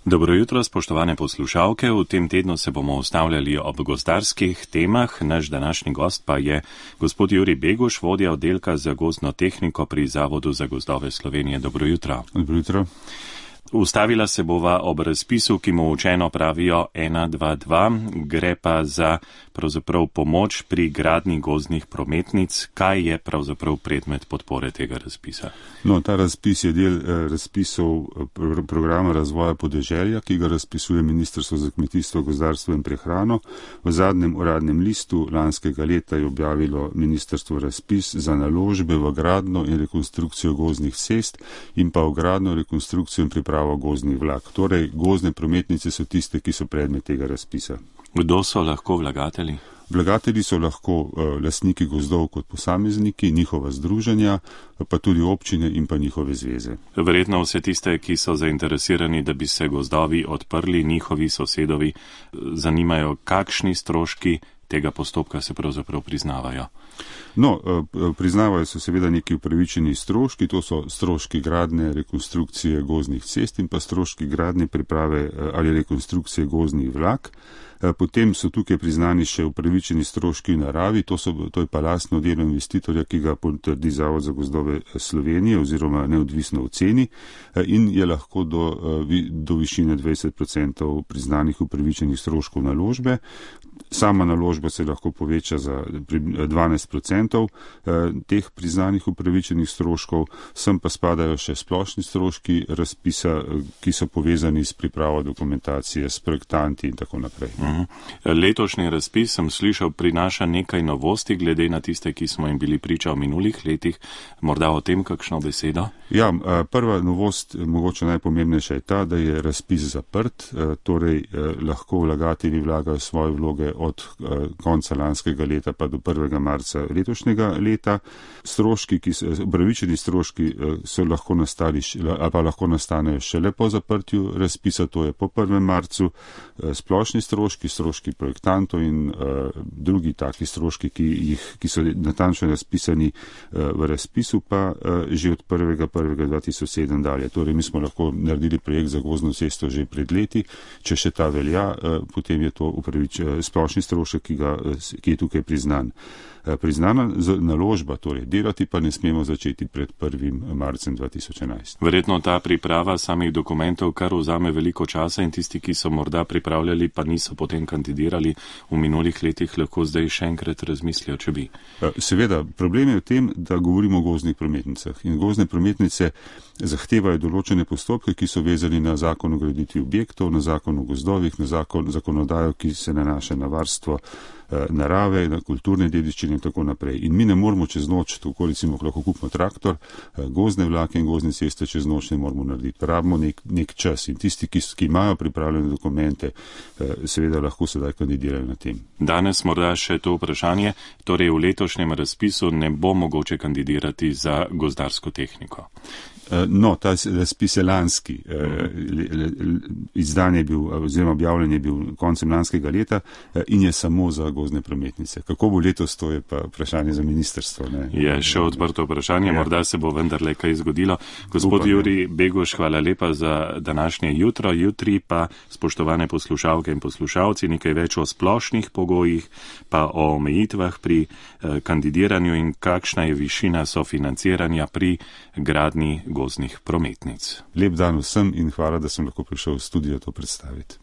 Dobro jutro, spoštovane poslušalke. V tem tednu se bomo ustavljali ob gozdarskih temah. Naš današnji gost pa je gospod Jurij Beguš, vodja oddelka za gozdno tehniko pri Zavodu za gozdove Slovenije. Dobro jutro. Dobro jutro. Ustavila se bova ob razpisu, ki mu učeno pravijo 1-2-2. Gre pa za pravzaprav pomoč pri gradnji gozdnih prometnic. Kaj je pravzaprav predmet podpore tega razpisa? No, ta razpis je del razpisov programa razvoja podeželja, ki ga razpisuje Ministrstvo za kmetijstvo, gozdarstvo in prehrano. V zadnjem uradnem listu lanskega leta je objavilo ministrstvo razpis za naložbe v gradnjo in rekonstrukcijo gozdnih cest in pa v gradnjo, rekonstrukcijo in pripravo gozdnih vlak. Torej, gozdne prometnice so tiste, ki so predmet tega razpisa. Kdo so lahko vlagatelji? Vlagatelji so lahko lastniki gozdov kot posamezniki, njihova združenja, pa tudi občine in pa njihove zveze. Verjetno vse tiste, ki so zainteresirani, da bi se gozdovi odprli, njihovi sosedovi, zanimajo, kakšni stroški tega postopka se pravzaprav priznavajo. No, priznavajo se seveda neki upravičeni stroški, to so stroški gradnje, rekonstrukcije gozdnih cest in pa stroški gradnje, priprave ali rekonstrukcije gozdnih vlak. Potem so tukaj priznani še upravičeni stroški v naravi, to je pa lastno delo investitorja, ki ga potrdi Zavod za gozdove Slovenije oziroma neodvisno oceni in je lahko do višine 20% priznanih upravičenih stroškov naložbe. Sama naložba se lahko poveča za 12% teh priznanih upravičenih stroškov, sem pa spadajo še splošni stroški razpisa, ki so povezani s pripravo dokumentacije, s projektanti in tako naprej. Letošnji razpis, sem slišal, prinaša nekaj novosti glede na tiste, ki smo jim bili priča v minulih letih. Morda o tem kakšno besedo? Ja, prva novost, mogoče najpomembnejša je ta, da je razpis zaprt, torej lahko vlagatelji vlagajo svoje vloge od konca lanskega leta pa do 1. marca letošnjega leta. Upravičeni stroški so lahko nastali, ali pa lahko nastanejo šele po zaprtju razpisa, to je po 1. marcu. Splošni stroški projektantov in drugi taki stroški, ki so natančno razpisani v razpisu, pa že od 1.1.2007 dalje. Torej, mi smo lahko naredili projekt za gozdno cesto že pred leti, če še ta velja, potem je to splošni strošek, ki je tukaj priznan. Priznana naložba, torej delati pa ne smemo začeti pred 1. marcem 2011. Verjetno ta priprava samih dokumentov kar vzame veliko časa in tisti, ki so morda pripravljali, pa niso potem kandidirali v minulih letih, lahko zdaj še enkrat razmislijo, če bi. Seveda, problem je v tem, da govorimo o gozdnih prometnicah in gozdne prometnice zahtevajo določene postopke, ki so vezani na zakon o graditvi objektov, na zakon o gozdovih, na zakonodajo, ki se nanaša na varstvo narave, na kulturne dediščine in tako naprej. In mi ne moramo čez noč, tako recimo lahko kupimo traktor, gozdne vlake in gozdne ceste čez noč ne moramo narediti. Rabimo nek čas in tisti, ki imajo pripravljene dokumente, seveda lahko sedaj kandidirajo na tem. Danes morda še to vprašanje, torej v letošnjem razpisu ne bo mogoče kandidirati za gozdarsko tehniko. No, ta razpis je lanski, izdan je bil, oziroma objavljen je bil koncem lanskega leta in je samo za gozdne prometnice. Kako bo letos, to je pa vprašanje za ministrstvo. Ne? Je še odprto vprašanje, morda se bo vendarle kaj zgodilo. Gospod Jurij Beguš, hvala lepa za današnje jutro. Jutri pa, spoštovane poslušalke in poslušalci, nekaj več o splošnih pogojih, pa o omejitvah pri kandidiranju in kakšna je višina sofinanciranja pri gradnji gozdnih prometnic. Lep dan vsem in hvala, da sem lahko prišel v studio to predstaviti.